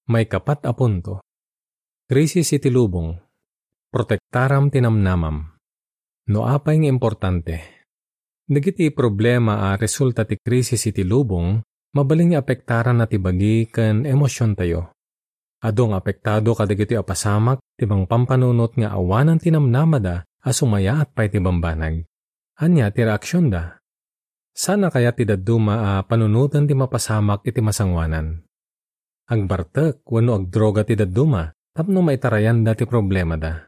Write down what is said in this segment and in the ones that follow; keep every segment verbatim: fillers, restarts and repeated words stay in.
Maikapat a punto. Krisis iti lubong. Protektaram ti namnamam. No apay nga importante? Dagiti problema a resulta ti krisis iti lubong, mabalin nga apektaranna ti bagi ken emosiontayo. Adu nga apektado kadagitoy a pasamak ti mangpampanunot nga awanan ti namnamada a sumayaat pay ti bambanag. Ania ti reaksionda? Saan a kayat ti dadduma a panunoten ti mapasamak iti masangoanan? Agbartek wenno agdroga ti dadduma tapno maitarayanda ti problemada.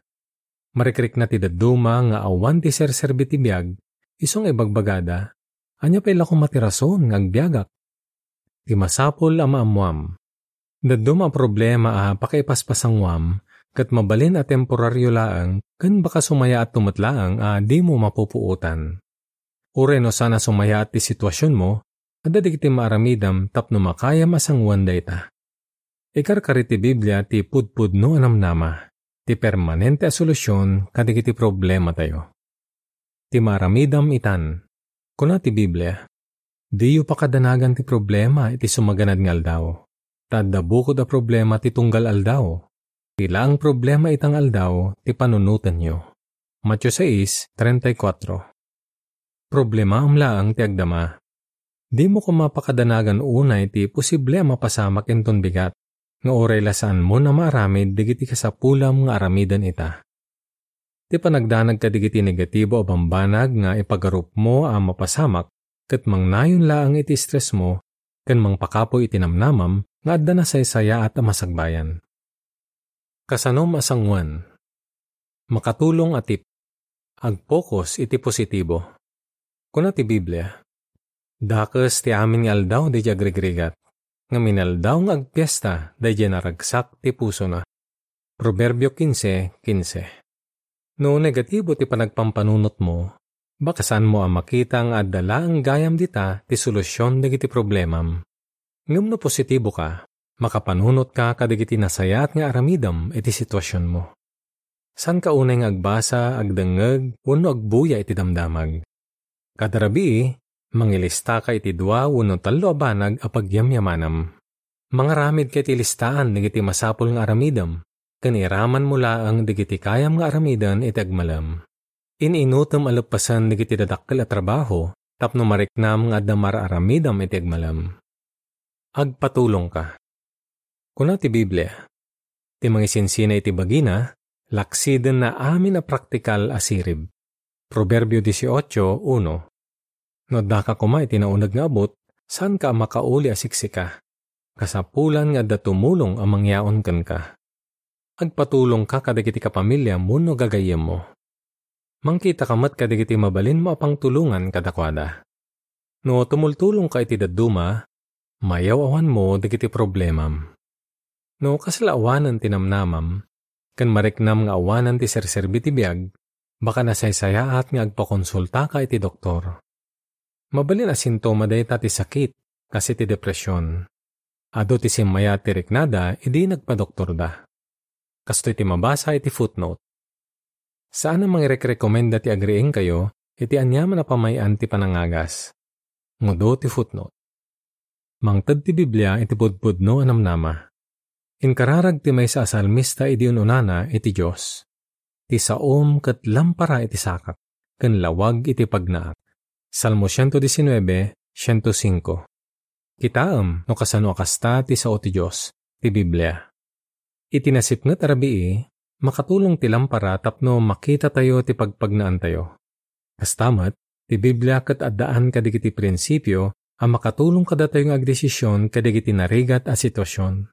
Marikrikna ti dadduma nga awan ti serserbi ti biag, isu nga ibagbagada, "Ania pay la koma ti rason nga agbiagak?" Ti masapul a maammoam, dadduma a problema a pakaipaspasangwam ket mabalin a temporario laeng ken baka sumayaatto met laeng a dimo mapupuotan. Uray no saan a sumayaat ti situasionmo, adda dagiti maaramidem tapno makayam a sangoen dayta. Ikarkari ti Biblia ti pudpudno a namnama, ti permanente a solusion kadagiti problematayo. Ti maaramidem itan. Kuna ti Biblia, "Diyo pakadanagan ti problema iti sumaganad nga aldaw, ta adda bukod a problema ti tunggal aldaw. Ti laeng problema ita nga aldaw ti panunotenyo." Mateo sais treinta y cuatro. Problemaam laeng ti agdama. Dimo koma pakadanagan unay ti posible a mapasamak inton bigat, nga uray la saanmo a maaramid dagiti kasapulam nga aramiden ita. Ti panagdanag kadagiti negatibo a bambanag nga ipagarupmo a mapasamak ket mangnayon laeng iti stressmo ken mangpakapuy iti namnamam nga adda nasaysayaat a masagbayan. Kasano masangoen? Makatulong a tip. Agpokus iti positibo. Kuna ti Biblia, "Dakes ti amin nga aldaw daydiay agrigrigat, ngem inaldaw nga agpiesta daydiay naragsak ti pusona." Proverbio quince quince. No negatibo ti panagpampanunotmo, baka saanmo a makita nga adda laeng gayam dita ti solusion dagiti problemam. Ngem no positibo ka, makapanunot ka kadagiti nasayaat nga aramidem iti situasionmo. Saanka unay nga agbasa, agdengngeg, wenno agbuya iti damdamag. Kada rabii, mangilistaka iti dua wenno tallo a banag a pagyamyamanam. Mangaramidka iti listaan dagiti masapul nga aramidem, ken iramanmo laeng dagiti kayam nga aramiden iti agmalem. In-inutem a leppasen dagiti dadakkel a trabaho tapno mariknam nga adda mar-aramidem iti agmalem. Agpatulongka. Kuna ti Biblia, "Ti mangisinsina iti bagina, laksidenna amin a praktikal a sirib." Proverbio dieciocho uno. No addaka koma iti nauneg nga abut, saanka a makauli a siksika. Kasapulan nga adda tumulong a mangyaon kenka. Agpatulongka kadagiti kapamiliam wenno gagayyemmo. Mangkitaka met kadagiti mabalinmo a pangtulongan kadakuada. No tumultulongka iti dadduma, mayaw-awanmo dagiti problemam. No kasla awanen ti namnamam, ken mariknam nga awanen ti serserbi ti biag, baka nasaysayaat nga agpakonsultaka iti doktor. Mabalin a sintoma dayta ti sakit, kas iti depresion. Adu ti simmayaat ti riknada idi nagpadoktorda. Kastoy ti mabasa iti footnote. Saan a mangirekrekomenda ti agriingkayo iti aniaman a pamay-an ti panangagas. Ngudo ti footnote. Mangted ti Biblia iti pudpudno a namnama. Inkararag ti maysa a salmista idi un-unana iti Dios, "Ti saom ket lampara iti sakak, ken lawag iti pagnaak." Salmo ciento diecinueve, ciento cinco. Kitaem no kasano a kasta ti sao ti Dios, ti Biblia. Iti nasipnget a rabii, makatulong ti lampara tapno makitatayo ti pagpagnaantayo. Kasta met, ti Biblia ket addaan kadagiti prinsipio a makatulong kadatayo nga agdesisyon kadagiti narigat a sitwasion.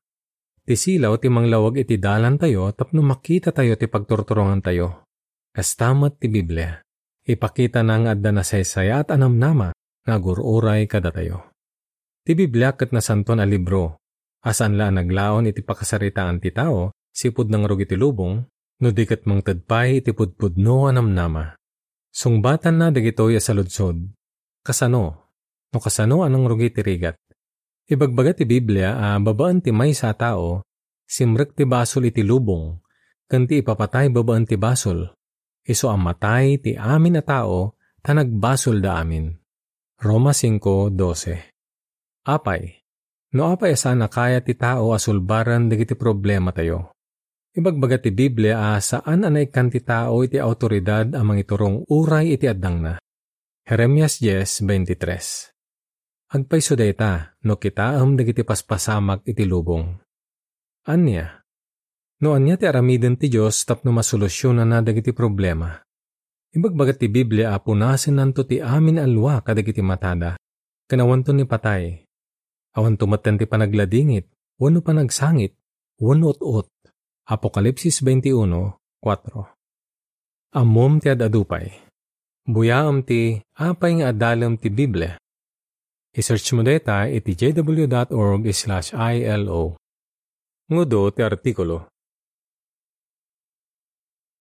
Ti silaw ti manglawag iti dalantayo tapno makitatayo ti pagturturongantayo. Kasta met ti Biblia. Ipakitana nga adda nasaysayaat a namnama nga agur-uray kadatayo. Ti Biblia ket nasantoan a libro, a saan la a naglaon iti pakasaritaan ti tao sipud nangrugi ti lubong, no di ket mangted pay iti pudpudno a namnama. Sungbatanna dagitoy a saludsod. Kasano? No kasano a nangrugi ti rigat? Ibagbaga ti Biblia a babaen ti maysa a tao, simrek ti basol iti lubong, ken ti ipapatay babaen ti basol, isu a matay ti amin a tao ta nagbasolda amin. Roma cinco doce. Apay, No apay a saan a kayat ti tao a sulbaren dagiti problematayo? Ibagbaga ti Biblia a saan a naikkan ti tao iti awtoridad a mangiturong uray iti addangna. Jeremias diez veintitrés. Agpayso dayta no kitaem dagiti paspasamak iti lubong. Ania? No ania ti aramiden ti Dios tapno masolusionana dagiti problema? Ibagbaga ti Biblia a punasennanto ti amin a lua kadagiti matada, ken awanto ni patay, awanto metten ti panagladingit, wenno panagsangit, wenno ut-ot. Apokalipsis veintiuno, kuatro. Ammom ti ad-adu pay. Buyaem ti apay nga adalem ti Biblia. I-search mo dayta iti j w dot org slash i l o. Ngudo ti artikulo.